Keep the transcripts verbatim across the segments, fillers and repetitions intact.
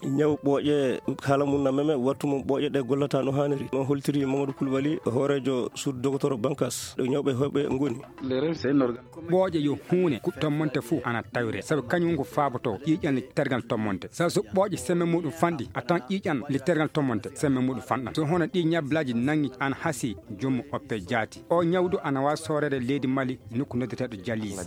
Ñaw ɓooƴe, haala mum na meme, wattu mum ɓooƴe ɗe gollata no haaniri. Noon holtiri Mamadou Koulibaly, hooreejo suudu dogotoro Bankas, ɗo ñawɓe heewɓe ngoni. Ɓooƴe yo huune, ku tommonte fuu ana tawire, sabu kañum ngu faabotoo ƴiiƴan le tergal tommonte. Sabu so ɓooƴe semme muɗum fanɗi, a tan ƴiiƴan le tergal tommonte, semme muɗum fanɗan. So hono ɗi ñablaaji nangi ana hasi, joomum oppe jaati. O ñawdu ana waawi sooreede leydi Mali, nokku noddeteeɗo Jalis.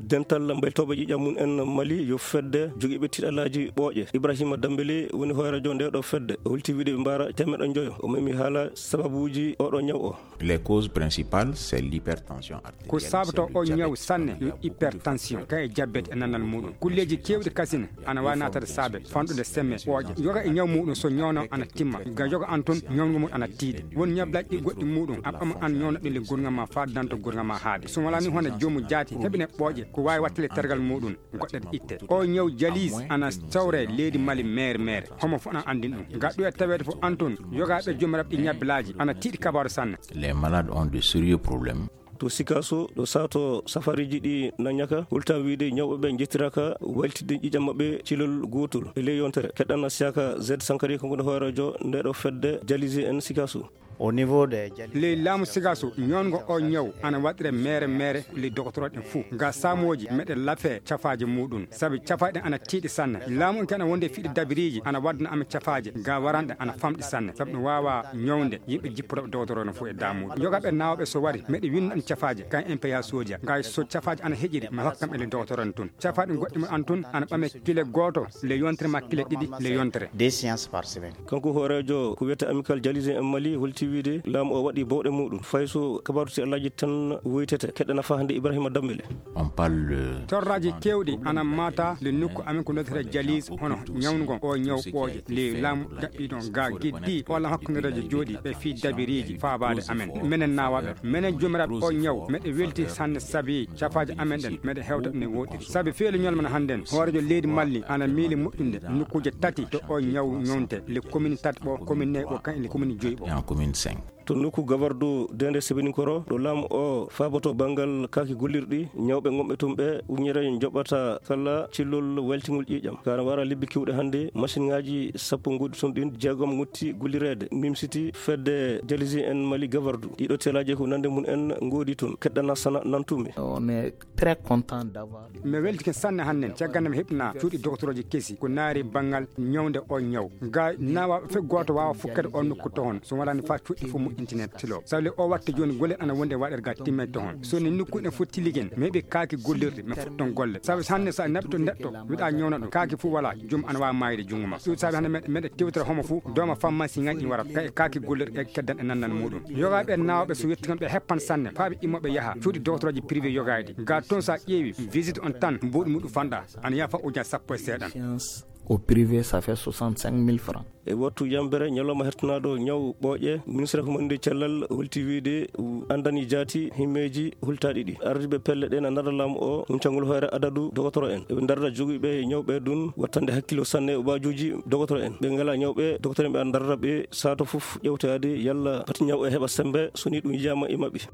Dental mbaylitooɓe ƴiiƴam mum en Mali yo fedde jogiiɓe tiiɗalaaji ɓooƴe. Ibrahima Dambele woni hooreejo nde ɗo fedde. O holti wiide ɓe mbaara teemeɗɗe njoyo. O memi haala sababuuji oɗo ñaw o. Les causes principales, c'est l'hypertension artérielle, ko sabato o ñaw sanne yo hypertension, kay e jabbet e nannal muɗum. Kulleeji keewɗi kasine ana waawi naatade saabe fanɗude semme ɓooƴe. Yoga e ñaw muɗum so ñawno ana timma, ga yoga an toon ñawngu mum ana tiiɗi. Won ñablaaji ɗi goɗɗi muɗum a ɓama an ñawno ɗin le gurnga ma faa danto gurnga ma haade. So wala ni hono joomu jaati heɓine ɓooƴe ko waawi wattale tergal muɗum. Goɗɗe itte. O ñaw Jalis ana sawre leydi Mali mere mere. Homo fof ana anndin ɗum. Ga ɗo e taweede fof an toon, yogaaɓe joomiraaɓe ɗi ñabbilaaji ana tiiɗi kabaaru sanne. Les malades ont de sérieux problèmes. To Sikaso, ɗo sato safariiji ɗi na ñaka, hulta wiide ñawɓe ɓe njettiraka waytidde ƴiiƴam maɓɓe cilol gootol e ley yontere. Keɗɗan na siyaka Z Sankari, kanko ne hooreejo nde ɗo fedde Jalisi en Sikaso. Au niveau de Jali- Ley laamu Sigaso, ñoongo o ñaw ana waɗire mere mere ley dogotorooɗe ɗen fuu. Ga saamooji meɗe lafe cafaaji muɗum, sabi cafaaji ɗen ana tiiɗi sanne. Laamu on ke ana wonde e fiɗi dabiriiji ana waddana amen cafaaji, ga waranɗe ana famɗi sanne, sabi ɗum waawa ñawnde yimɓe jippotooɓe dogotoroo no fuu e daamuuji. Yogaaɓe naawɓe so wari, meɗe winna ɗum cafaaji, kan M P A sooja. Ga so cafaaji ana heƴiri, mi hokka kam e ley dogotoroo en tun. Cafaaji goɗɗi mo an tun ana ɓame kile gooto le yontere ma kile ɗiɗi le yontere. Des séances par semaine. Kanko hooreejo ko wiyetee Amicale Jalisien en Mali holti wiide laamu o waɗi bawɗe muɗum. Fay so kabaaru si Alaaji tan woytete, keɗɗa nafa hannde Ibrahima Dambele. On parle de torraaji kewɗi ana mata le nokku amen ko nodetee Jalis, hono ñawnugol o ñaw ɓooƴe. Le laamu daɓɓi ɗon ga giddi o la hakkundereejo jooɗi ɓe fii dabiriiji faabaade amen. Menen nawaɓe, menen joomiraaɓe o ñaw, meɗe welti sanne sabi cafaaji amen ɗen, meɗe hewta ɗum e woɗɗiri. Sabi feelu ñalmana hannden, hooreejo leydi Mali ana miili moƴƴinde nokkuuje tati to o ñaw ñawnte, le commune tati ɓo, commune nayi ɓo, kan e le commune joyi ɓo. En commune cinq. To nokku gabardu Dende Sebeninkoro, ɗo laamu o faaboto banngal kaaki gollirɗi, ñawɓe gonɓe tun ɓe uñere njoɓata kala cillol weltingol ƴiiƴam. Kana wara lebbi kewɗe hannde, machine ŋaaji sappo ngoodi tun ɗin, jeegom ngotti gollireede, mimsiti fedde Jalisi en Mali gabardu. Ɗiɗo telaaji ko nande mum en ngoodi tun, keɗɗana sana nantumi. On est très content d'avoir. Mi weltike sanne hannden, caggal nde mi heɓna cuuɗi dogotorooji kesi, ko naari banngal ñawnde o ñaw. Ga nawa fe gooto waawa fukkede on nokku toon, so walaani faa cuuɗi fof moƴƴintine tilo. Sabi le o watta jooni golle ana wonde waɗere ga timme toon. So ni nokku ɗen fof tiligen, mi heɓi kaaki gollirɗe, mi fotton golle. Sabi so hannde so a naɓi to neɗɗo, wiɗa ñawna ɗum, kaaki fof wala, joom ana waawa maayde junngo ma. Ɗum sabi hannde meɗe, meɗe tewtira homo fof, dooma pharmacie ŋaaji ɗi wara, ka-, kaaki gollirɗe e keddan e nannal muɗum. Yogaaɓe naawɓe so yetti kon ɓe heppan sanne, faa ɓe immo ɓe yaha. Cuuɗi dogotorooji privé yogaaɗi. Ga toon so a ƴeewi, visite on tan, mbuuɗi muɗum fanɗa. Ana yaha faa ujunnaaje sappo e seeɗan. Au privé, ça fait soixante-cinq mille francs. E wattu yambere ñalawma hertanaaɗo ñaw ɓooƴe, ministre ko mandi cellal holti wiide andani jaati himmeeji hultaaɗi ɗi. Ardiiɓe pelle ɗe na ndarda laamu o, huncangol hoore adadu dogotoro en. Eɓe ndarda jogiiɓe ñawɓe ɗun wattande hakkilo sanne waajuuji dogotoro en. Ɓe ngala ñawɓe, dogotoro en ɓe ana ndarda ɓe saato fof ƴewtaade yalla pati ñaw e heɓa sembe, so ni ɗum yiyaama e maɓɓe.